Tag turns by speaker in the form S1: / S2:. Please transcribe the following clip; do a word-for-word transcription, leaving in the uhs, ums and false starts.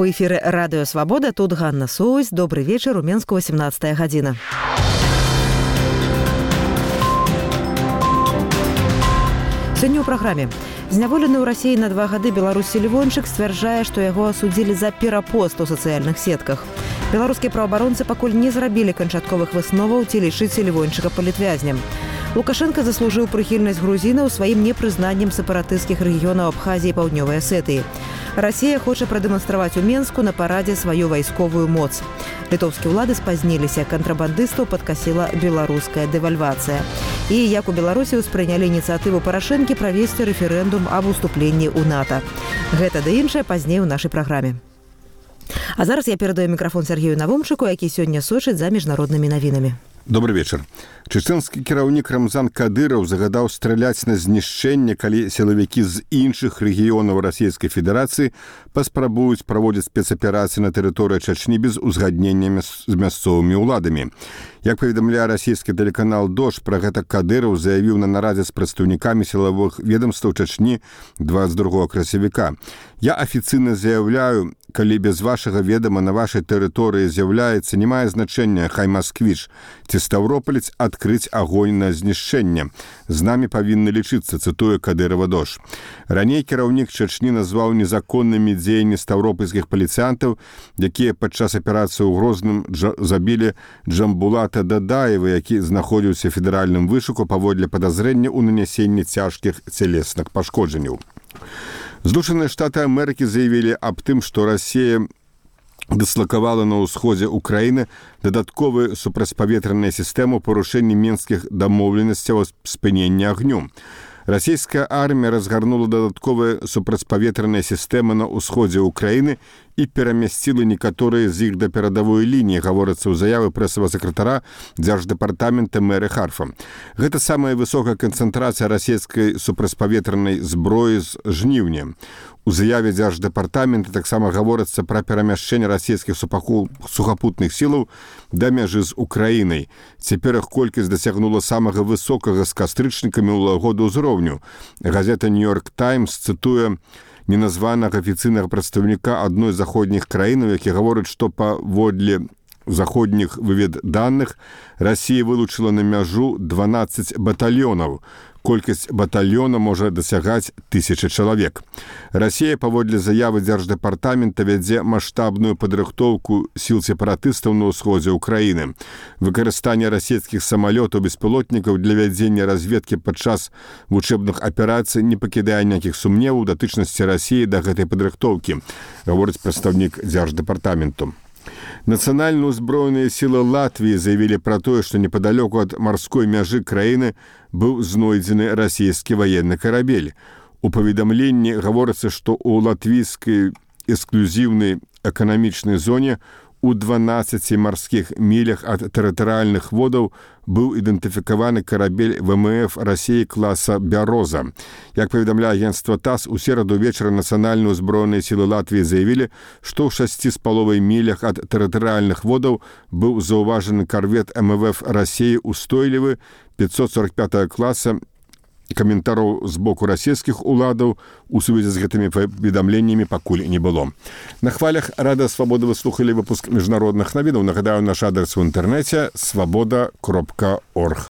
S1: У эфіры радыё Свабода, тут Ганна Соусь. Добрый вечар, у Менску восемнадцатая гадзіна. Сёння ў праграме. Зняволены ў Расіі на два гады беларус Селівончык сцвярджае, што яго асудзілі за перапост у сацыяльных сетках. Беларускія праваабаронцы пакуль не зрабілі канчатковых высноваў, ці лічыць Селівончыка палітвязнем. Лукашенко заслужыў прыхільнасць грузінаў сваім непрызнаннем сепаратысцкіх рэгіёнаў Абхазіі і Паўднёвай Асетыі. Расія хоча прадэманстраваць у Менску на парадзе сваю вайсковую моц. Літоўскія ўлады спазніліся, кантрабандыстаў падкасіла беларуская дэвальвацыя. І як у Беларусі ўспрынялі ініцыятыву Парашэнкі правесці рэферэндум аб уступленні ў НАТО. Гэта ды іншае пазней у нашай праграме. А зараз я перадаю мікрафон Сергею Навумчыку, які сёння сочыць за міжнароднымі навінамі.
S2: Добрый вечар. Чечэнскі кіраўнік Рамзан Кадыраў загадаў страляць на знішчэнне, калі сілавікі з іншых рэгіёнаў Расійскай Федэрацыі паспрабуюць праводзіць спецаперацыі на тэрыторыі Чачні без узгаднення з мясцовымі ўладамі. Як паведамляе расійскі тэлеканал «Дождь», пра гэта Кадыраў заявіў на нарадзе з прадстаўнікамі сілавых ведомстваў Чачні двадцать другого красавіка. Я афіцыйна заяўляю, калі без вашага ведама на вашай тэрыторыі з'яўляецца, не мае значэння, хай Масквіч ці Стаўропалец, адкрыць агонь на знішчэнне. З намі павінны лічыцца, цытуе Кадырава «Дождь». Раней кіраўнік Чачні назваў незаконнымі дзеянні стаўропальскіх паліцыянтаў, якія падчас аперацыі ў Грозным джа- забілі Джамбулата Дадаева, які знаходзіўся ў федэральным вышуку паводле падазрэння ў нанясенні цяжкіх цялесных пашкоджанняў. Злучаныя Штаты Амерыкі заявілі аб тым, што Расія дыслакавала на ўсходзе Украіны дадатковую супрацьпаветраную сістэму парушэння мінскіх дамоўленасцяў аб спыненні агню. Расійская армія разгарнула дадатковыя супрацьпаветраныя сістэмы на ўсходзе Украіны і перамясціла некаторыя з іх да перадавой лініі, гаворыцца ў заявы прэсавага сакратара дзярждэпартамента Мэры Харфа. Гэта самая высокая канцэнтрацыя расійскай супрацьпаветранай зброі з жніўня. У заяве дзярждэпартамента таксама гаворыцца пра перамяшчэнне расійскіх сухапутных сілаў да мяжы з Украінай. Цяпер іх колькасць дасягнула самага высокага з кастрычнікамі ў году ўзроўню. Газета «Нью-Йорк Таймс» цытуе неназванага афіцыйнага прадстаўніка адной з заходніх краінаў, які гаворыць, што паводле заходніх вывед даных Расія вылучыла на мяжу дванаццаць батальёнаў. Колькасць батальёна можа дасягаць тысячы чалавек. Расія, паводле заявы дзярждэпартамента, вядзе маштабную падрыхтоўку сіл сепаратыстаў на ўсходзе Украіны. Выкарыстанне расійскіх самалётаў беспілотнікаў для вядзення разведкі падчас вучэбных аперацый не пакідае ніякіх сумневаў датычнасці Расіі да гэтай падрыхтоўкі, гаворыць прадстаўнік дзярждэпартаменту. Нацыянальна ўзброеныя сілы Латвіі заявілі пра тое, што непадалёку ад марской мяжы краіны быў знойдзены расійскі ваенны карабель. У паведамленні гаворыцца, што ў латвійскай эксклюзіўнай эканамічнай зоне у дванаццаці марскіх мілях ад тэрытарыяльных водаў быў ідэнтыфікаваны карабель ВМФ Расіі класа «Бяроза». Як паведамляе агенцтва ТАСС, у сераду вечара нацыянальна ўзброеныя сілы Латвіі заявілі, што ў шасці з паловай мілях ад тэрытарыяльных водаў быў заўважаны карвет МВФ Расіі «Устойлівы» пятьсот сорок пятого класа. Каментараў з боку расійскіх уладаў у сувязі з гэтымі паведамленнямі пакуль не было. На хвалях Радыё Свабода вы слухалі выпуск міжнародных навінаў. Нагадаю, наш адрес у інтэрнэце свабода кропка орг.